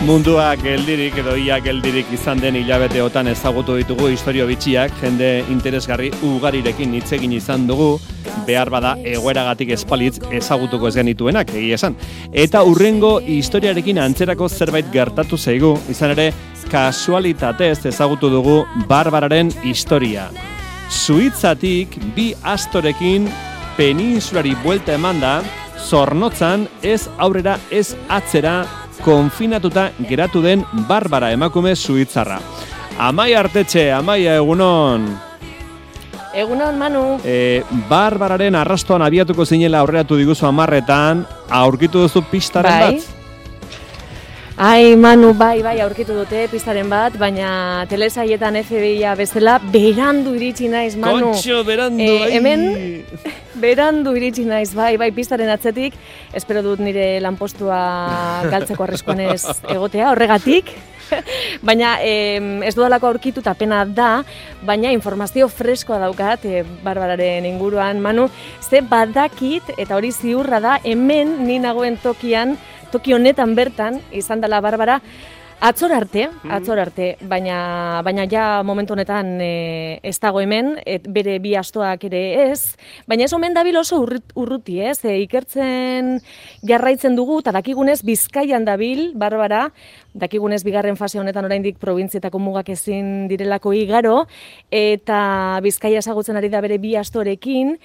Mundua geldirik edo ia geldirik izan den hilabeteotan ezagutu ditugu istorio bitxiak, jende interesgarri ugarirekin hitz egin izan dugu, behar bada egoeragatik espalitz ezagutuko ez genituenak, egia esan. Eta hurrengo historiarekin antzerako zerbait gertatu zaigu, izan ere kasualitatez ezagutu dugu Barbararen historia. Suitzatik bi astorekin peninsulari buelta emanda, Zornotzan ez aurrera ez atzera konfinatuta geratu den Barbara emakume suitzarra. Amaia Artetxe, Amaia, egunon. Egunon, Manu. Barbararen arrastoan abiatuko zinela aurreratu diguzu 10etan, aurkitu duzu pistaren bat? Ai, Manu, bai, aurkitu dute pistaren bat, baina telesaietan FBI-a bezala berandu iritsi naiz, Manu. Kontxo, berandu, Hemen, berandu iritsi naiz, bai, pistaren atzetik. Espero dut nire lanpostua galtzeko arriskuan ez egotea, horregatik. Baina ez dudalako aurkitu eta pena da, baina informazio freskoa daukat Barbararen inguruan, Manu. Ze badakit, eta hori ziurra da, hemen ni nagoen toki honetan bertan, izan dela Barbara, atzor arte, baina ja momentu honetan ez dago hemen, bere bi astoak ere ez, baina ez omen dabil oso urruti, ez? Ikertzen jarraitzen dugu, eta dakigunez Bizkaian dabil, Barbara, dakigunez bigarren fase honetan oraindik probintzietako mugak ezin direlako igaro, eta Bizkaia ezagutzen ari da bere bi astorekin,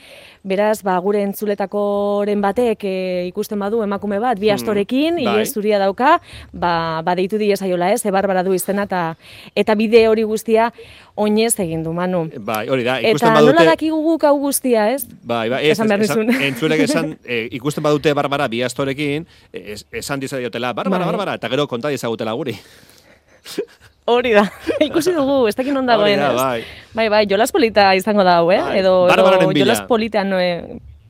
beraz, gure entzuletakoren batek ikusten badu emakume bat, bi astorekin, ile zuria dauka, deitu diezaiola ez, Barbara du izena, eta bide hori guztia oinez egin du, Manu. Bai, hori da, ikusten badute... Eta nola dakigu guk hau guztia, ez? Bai, entzulek esan, ikusten badute Barbara bi astorekin, esan dizaiotela, Barbara, eta gero konta dizagutela guri. Hori da, ikusi dugu, ez dakin ondagoen, ez? Bai, jolas polita izango da hau, edo jolas politean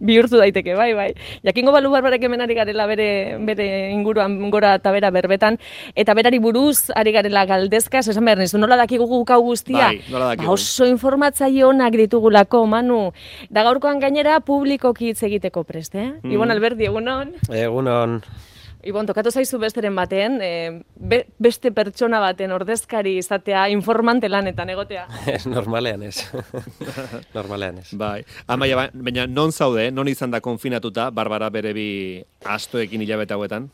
bihurtu daiteke, bai. Jakingo balu Barbarek hemen ari garela bere inguruan gora eta bera berbetan, eta berari buruz ari garela galdezka, esan behar nizu, nola dakigu guk hau guztia? Bai, nola dakigu. Oso informatzaile onak ditugulako, Manu. Da gaurkoan gainera publikoki hitz egiteko prest, Ibon Alberdi, egunon? Egunon. Ibon, tokatu zaizu besteren baten, beste pertsona baten ordezkari izatea informante lanetan egotea. Normalean ez. Bai. Amaia, baina non zaude, non izan da konfinatuta, Barbara bere bi astoekin hilabete hauetan?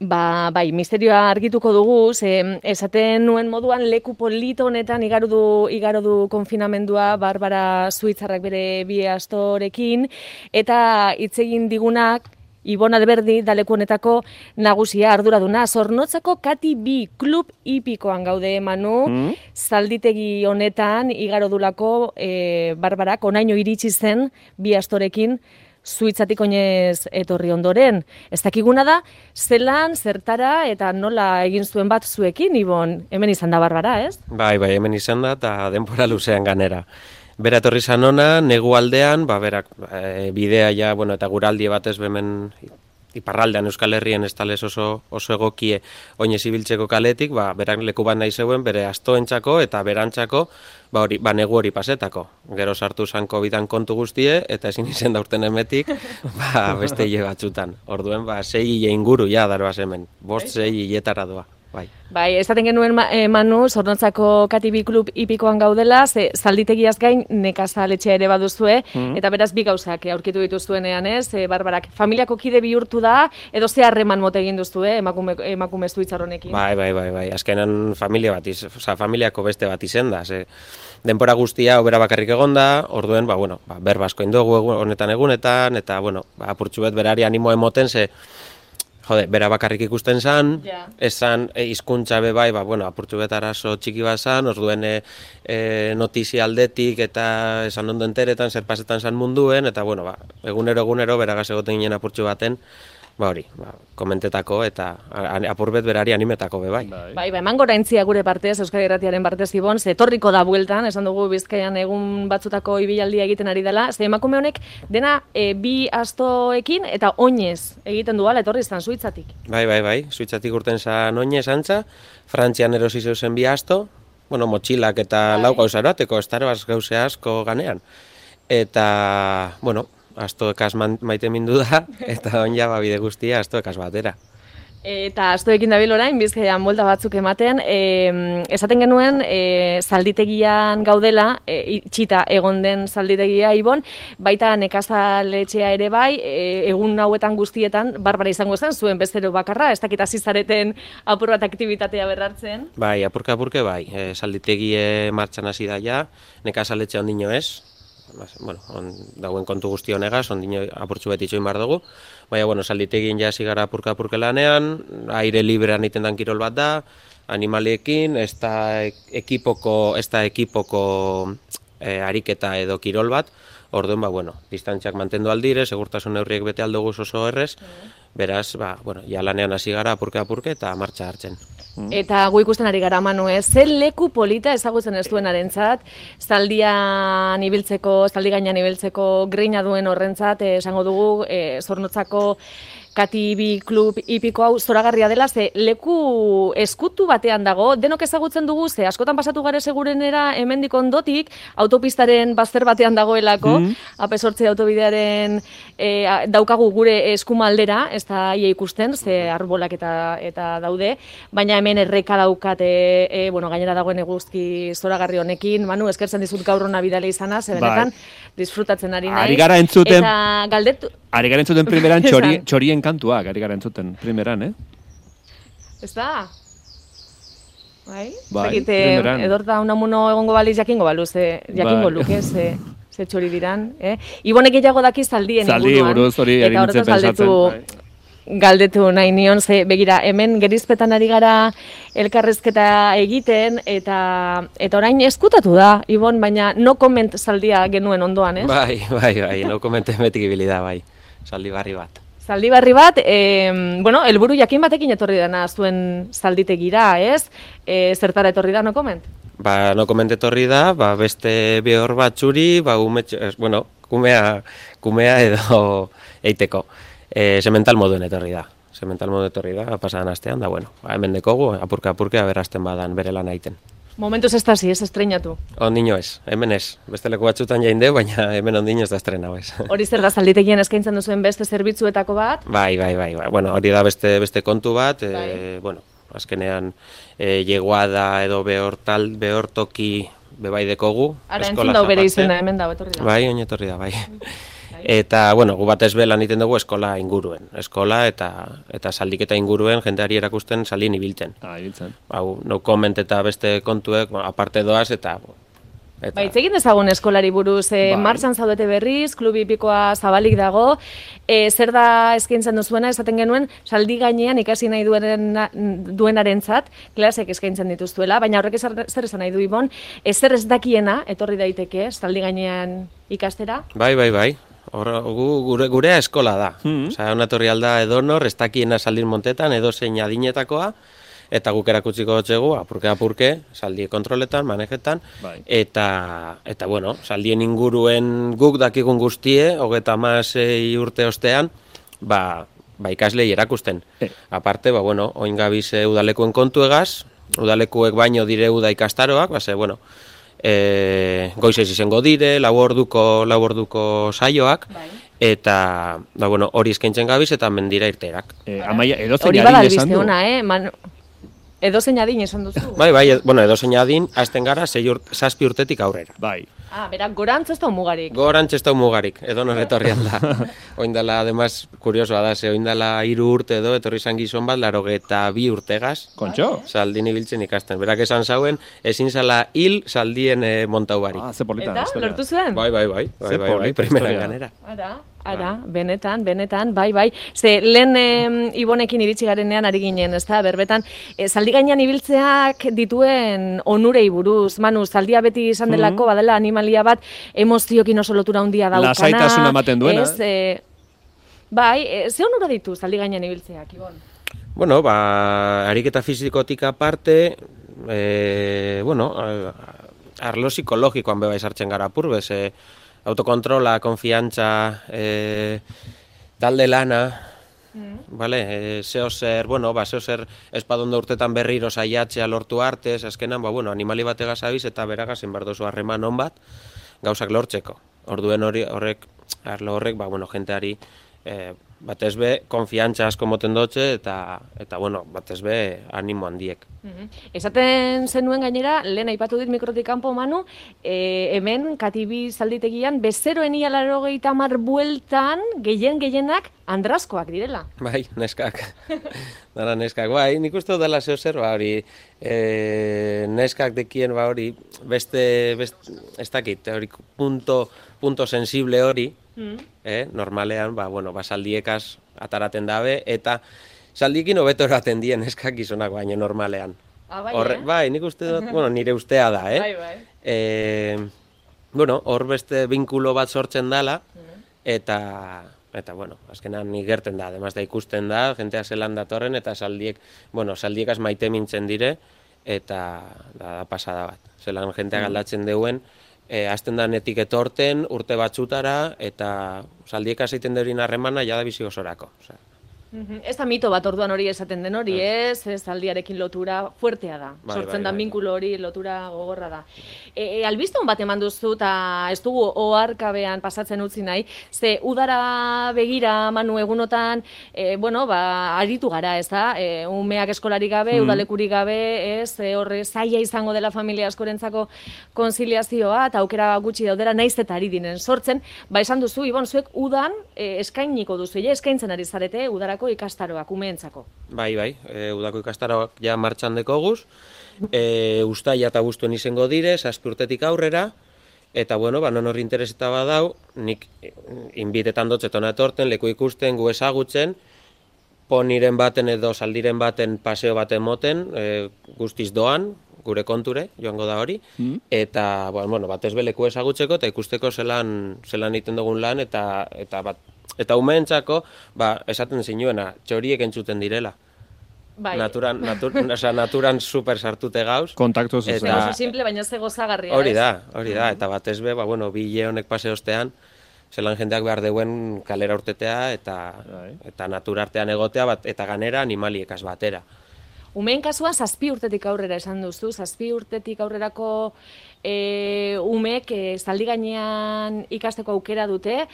Bai, misterioa argituko dugu, esaten nuen moduan leku polito honetan igaro du konfinamendua Barbara suitzarrak bere bi astorekin, eta hitz egin digunak Ibon Alberdi daleku honetako nagusia arduraduna. Zornotzako Kati bi klub hipikoan gaude, Manu, zalditegi honetan igaro dulako Barbarak onaino iritsi zen bi astorekin Suitzatik oinez etorri ondoren. Ez dakiguna da, zelan, zertara eta nola egin zuen bat zuekin, Ibon, hemen izan da Barbara, ez? Bai, hemen izan da eta denbora luzean ganera. Bera etorri zan ona, negu aldean, berak bidea ja, eta guraldi batez hemen iparraldean Euskal Herrien ez talez oso egokie oinez ibiltzeko kaletik, berak leku bat nahi zeuen, bere astoentzako eta berantzako, negu hori pasetako. Gero sartu zan COVID-an kontu guztie, eta ezin izen daurten emetik, beste hile batzutan. Orduen, 6 hile inguru ja daroaz hemen, 5-6 hiletara doa. Bai, esaten genuen, Manu, Zornotzako Kati bi klub hipikoan gaudela, zalditegiaz gain nekazaletxea ere baduzue, eta beraz bi gauzak aurkitu dituzuenean, ez? Barbarak, familiako kide bihurtu da, edo ze harreman mote egin duzu, emakume suitzar honekin? Bai, azkenan familiako beste bat izen da, denbora guztia obera bakarrik egonda, orduen, berba asko indogu honetan, eta, apurtxu bet berari animo emoten, bera bakarrik ikusten zan, esan hizkuntza be bai, apurtu bet arazo txiki bat zan, orduen notizia aldetik eta esan ondo enteretan, zer pasetan zan munduen, eta egunero beragaz egoten ginen apurtxu baten, komentetako eta apurbet berari animetako be bai. Bai, eman gora entzia gure partez, Euskal Irratiaren partez, Ibon, etorriko da bueltan, esan dugu Bizkaian egun batzutako ibilaldia egiten ari dela, emakume honek dena bi astoekin eta oinez egiten du ala etorri izan Suitzatik. Bai, Suitzatik urten zan oinez antza, Frantzian erosi zeuzen bi asto, motxilak eta lau gauza eroateko, estaroaz gauze asko ganean. Eta, astoekaz maite mindu da, eta on ja bide guztia astoekaz batera. Eta astoekin dabil orain, Bizkaian buelta batzuk ematen, esaten genuen zalditegian gaudela, itxita egon den zalditegia Ibon, baita nekazaletxea ere bai, egun hauetan guztietan, barbara izango zen, zuen bezero bakarra, ez dakit hasi zareten apur bat aktibitatea berrartzen. Bai, apurke bai, zalditegie martxan hasi da ja, nekazaletxe ondino ez, bueno, dauen kontu guzti honegaz, ondino apurtxu beti itxoin bar dugu, baina, bueno, salditegin ja zigara apurka lanean, aire librean iten dan kirol bat da, animaliekin, ez da ekipoko ariketa edo kirol bat, orduan, bueno, distantziak mantendu aldire, segurtasun neurriek bete aldoguz oso errez, beraz, bueno, ja lanean hasi gara apurke eta martxa hartzen. Eta gu ikusten ari gara, Manu, ze leku polita ezagutzen ez duenarentzat, zaldi gainean ibiltzeko grina duen horrentzat, esango dugu, Zornotzako Katibi Klub hipiko hau zoragarria dela, ze leku eskutu batean dago, denok ezagutzen dugu, ze askotan pasatu gare segurenera hemendik ondotik, autopistaren bazter batean dagoelako, AP8 autobidearen daukagu gure eskumaldera, ez da ia ikusten, ze arbolak eta daude, baina hemen erreka daukate, gainera dagoen eguzki zoragarri honekin, Manu, eskertzen dizut gaur hona bidale izana, ze benetan, disfrutatzen ari nahi. Ari gara entzuten primeran txorien kantuak, ari gara entzuten primeran, Ez da? Bai, primeran. Edorta unamuno egongo baliz jakingo balu, jakingo luke, ze txori diran. Ibonek gehiago daki zaldien inguruan. Zaldi buruz hori ari nintzen pensatzen. Galdetu nahi nion, ze begira, hemen gerizpetan ari gara elkarrezketa egiten, eta orain eskutatu da, Ibon, baina no comment zaldia genuen ondoan, ez? Bai, no comment emetik ibili da, bai, zaldi barri bat. Zaldi barri bat, helburu jakin batekin etorri dena zuen zalditegira, ez? Zertara etorri da no comment? No comment etorri da, beste behor bat txuri, kumea edo eiteko. Semental moduen etorri da. Pasadan astean, da, hemen dekogu, apurka, aberazten badan bere lan aiten. Momentuz ez da zi, ez estreinatu? Ondino ez, hemen ez. Beste leku batzutan jain deu, baina hemen ondino ez da estrenau ez. Hori zer da zalditegien eskaintzen duzuen beste zerbitzuetako bat? Bai. Hori da beste kontu bat, azkenean jegoada edo behor toki bebai dekogu. Ara, entzun dau bere izena, hemen dau, etorri da. Bai, oinetorri da, bai. Eta, gu batez belan iten dugu eskola inguruen. Eskola eta zaldiketa inguruen jendeari erakusten zaldien ibiltzen. Ibiltzen. No comment eta beste kontuek, aparte doaz eta... Itzegin dezagun eskolari buruz, martxan zaudete berriz, klub hipikoa zabalik dago, zer da eskaintzen duzuena, esaten genuen, zaldi gainean ikasi nahi duenarentzat, klasek eskaintzen dituztuela, baina horrek zer esan nahi du, Ibon, zer ez dakiena, etorri daiteke, zaldi gainean ikastera? Bai. Gurea eskola da. Onatorri alda edonor, ez dakiena zaldin montetan, edo zein adinetakoa, eta guk erakutsiko dutxegu, apurke, zaldie kontroletan, manejetan, eta zaldien inguruen guk dakigun guztie, 36 urte ostean, ikaslei erakusten. Aparte, oin gabiz udalekuen kontu egaz, udalekuek baino dire uda ikastaroak, goizez izango dire, lau orduko saioak, eta hori eskaintzen gabiz eta mendira irterak. Hori bada albiste ona, edozein adin esan duzu? Bai, edozein adin, hasten gara 6 urtetik aurrera. Bai. Berak, gorantz ez da mugarik? Gorantz ez da mugarik, edo nor etorri alda. Oindala, además, kuriosoa da, oindala 3 urte edo, etorri izan gizon bat, 82 urtegaz. Kontxo? Zaldin ibiltzen ikasten. Berak esan zauen, ezin zala hil zaldien montau barik. Ze politan. Eta, lortu zuen? Bai, primeran ganera. Ara, benetan, bai. Ze, lehen Ibonekin iritsi garenean ari ginen, ez da, berbetan, zaldi gainean ibiltzeak dituen onurei buruz, Manu, zaldia beti izan delako, badela animalia bat, emoziokin oso lotura handia daukana. Lasaitasuna ematen duena. Ze onura ditu zaldi gainean ibiltzeak, Ibon? Ariketa fizikotik aparte, arlo psikologikoan beba izartzen gara purbez, autokontrola, konfiantza, talde lana, zeozer espadondo urtetan berriro saiatzea lortu artez, azkenan, animali bategaz abiz eta beragazen bardozu harreman on bat, gauzak lortzeko. Orduen arlo horrek, jenteari batez be, konfiantza asko moten dutxe, eta bueno, batez be, animo handiek. Esaten zenuen gainera, lehen aipatu dit mikrotik kanpo Manu, hemen Katibi zalditegian, bezeroen ia 80 bueltan, gehienak andrazkoak direla. Bai, neskak. Dara neskak, bai, nik uste dela zeo zer, hori, neskak dekien, hori, beste, ez dakit, hori, punto sensible hori, normalean, saldiekaz ataraten dabe, eta saldiekin hobeto eraten dien neskak gizonak baina normalean. Bai, nik uste dut, nire ustea da, hor beste binkulo bat sortzen dala, eta azkenan nik gerten da, además da ikusten da, jentea zelan datorren, eta saldiekaz maite mintzen dire, eta da pasada bat. Zelan jentea galdatzen deuen, hasten da netik etorten, urte batzutara, eta saldiekaz egiten deurin harremana, jada bizi osorako. Ez da mito bat orduan hori esaten den hori, ez aldiarekin lotura fuertea da. Sortzen da binkulo hori lotura gogorra da. Albiston bat eman duzu, eta ez dugu oharkabean pasatzen utzi nahi, ze udara begira Manu egunotan, aritu gara, ez da? Umeak eskolari gabe, udalekurik gabe, ez? Horre zaila izango dela familia askorentzako konziliazioa, eta aukera gutxi daudera naiz eta ari dinen sortzen, esan duzu, Ibon, zuek udan eskainiko duzu, eskaintzen ari zarete udarako ikastaroak, umeentzako. Bai, udako ikastaroak ja martxan dekoguz, ustaia eta abuztuen izango dire, 7 urtetik aurrera, eta non horri intereseta badau, nik inbitetan dotzetona etorten, leku ikusten, gu ezagutzen, poniren baten edo saldiren baten paseo baten moten, guztiz doan, gure konture, joango da hori, eta batez be leku ezagutzeko, eta ikusteko zelan egiten dugun lan, eta umeentzako, esaten zinuena, txoriek entzuten direla. Naturan super sartute gauz. Kontaktu zuzen. Oso simple, baina ze gozagarria. Hori da, eta batez be, bile honek paseostean, zelan jendeak behar deuen kalera urtetea, eta naturartean egotea, eta ganera animaliekaz batera. Umeen kasuan 7 urtetik aurrera esan duzu, 7 urtetik aurrerako umeek zaldi gainean ikasteko aukera dute,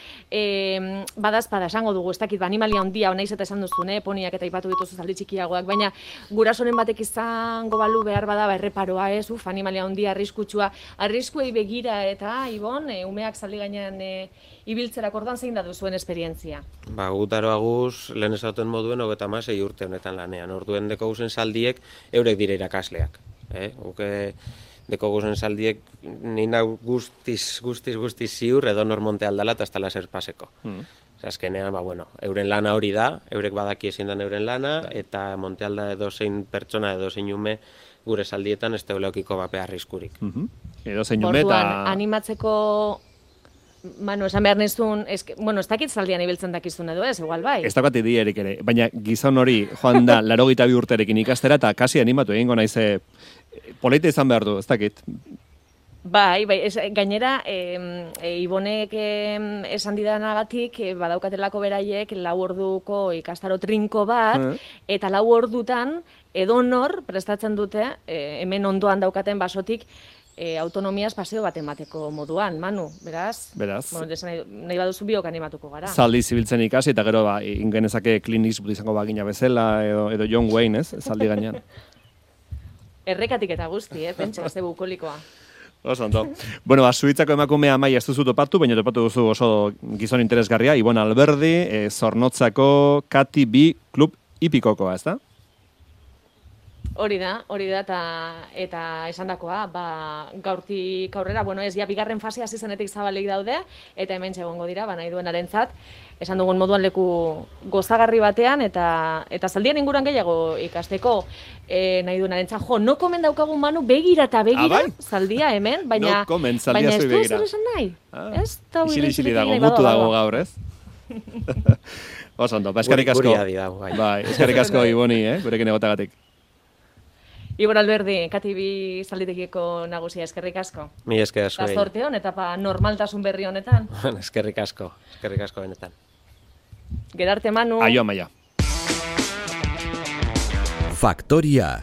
badazpada esango dugu, ez dakit, animalia handia, naiz eta esan duzu, poniak eta ipatu dituzu zaldi txikiagoak, baina gurasoren batek izango balu behar bada erreparoa, animalia handia arriskutsua, arriskuei begira eta, Ibon, umeak zaldi gainean ibiltzerak orduan zein da duzuen esperientzia? Gutaro aguz, lehen esauten moduen, 36 urte honetan lanean. Orduen deko guzen saldiek, eurek dire irakasleak. Deko guzen saldiek, nina guztiz ziur, edo normonte aldala eta estala zer paseko. Azkenean, euren lana hori da, eurek badaki ezin dan euren lana, eta monte alda edo zein pertsona, edo zein ume, gure saldietan ez teuleokiko bapea arriskurik. Edo zein ume eta... Orduan, animatzeko... Manu, esan behar nizun, ez dakit zaldian ibiltzen dakizun edo ez, igual bai. Ez dakat idierik ere, baina gizon hori joan da 82 urterekin ikastera eta kasi animatu egingo naize polita izan behar du, ez dakit. Bai, gainera, Ibonek esan didanagatik, badaukatelako beraiek 4 orduko ikastaro trinko bat, eta 4 ordutan edonor prestatzen dute, hemen ondoan daukaten basotik, autonomiaz paseo bat emateko moduan, Manu, beraz? Nahi baduzu biok animatuko gara. Zaldi zibiltzen ikasi, eta gero ingenezake Clint Eastwood izango bagina bezala, edo John Wayne, ez? Zaldi gainean. Errekatik eta guzti, pentsa, ez bukolikoa. Oso ondo. Suitzako emakumea Amaia ez duzu topatu, baina topatu duzu oso gizon interesgarria, Ibon Alberdi, Zornotzako Katibi Klub Hipikokoa, ez da? Hori da, eta esandakoa, gaurtik aurrera, ez ja bigarren fasea hasi zenetik zabalik daude, eta hemen egongo dira, nahi duenarentzat, esan dugun moduan leku gozagarri batean, eta zaldien inguruan gehiago ikasteko nahi duenarentzat. No komen daukagun, Manu, begira eta begira, zaldia hemen, baina ez du zer esan nahi. Isili dago, mutu dago gaur, ez? Oso ondo, eskerrik asko. Eskerrik asko, Iboni, gurekin egotagatik. Ibon Alberdi, Katibi zalditekiko nagusia, eskerrik asko. Mi esker asko. Eta zorte hon, eta normaltasun berri honetan. Eskerrik asko benetan. Gerarte, Manu. Aio, Amaia. Faktoria.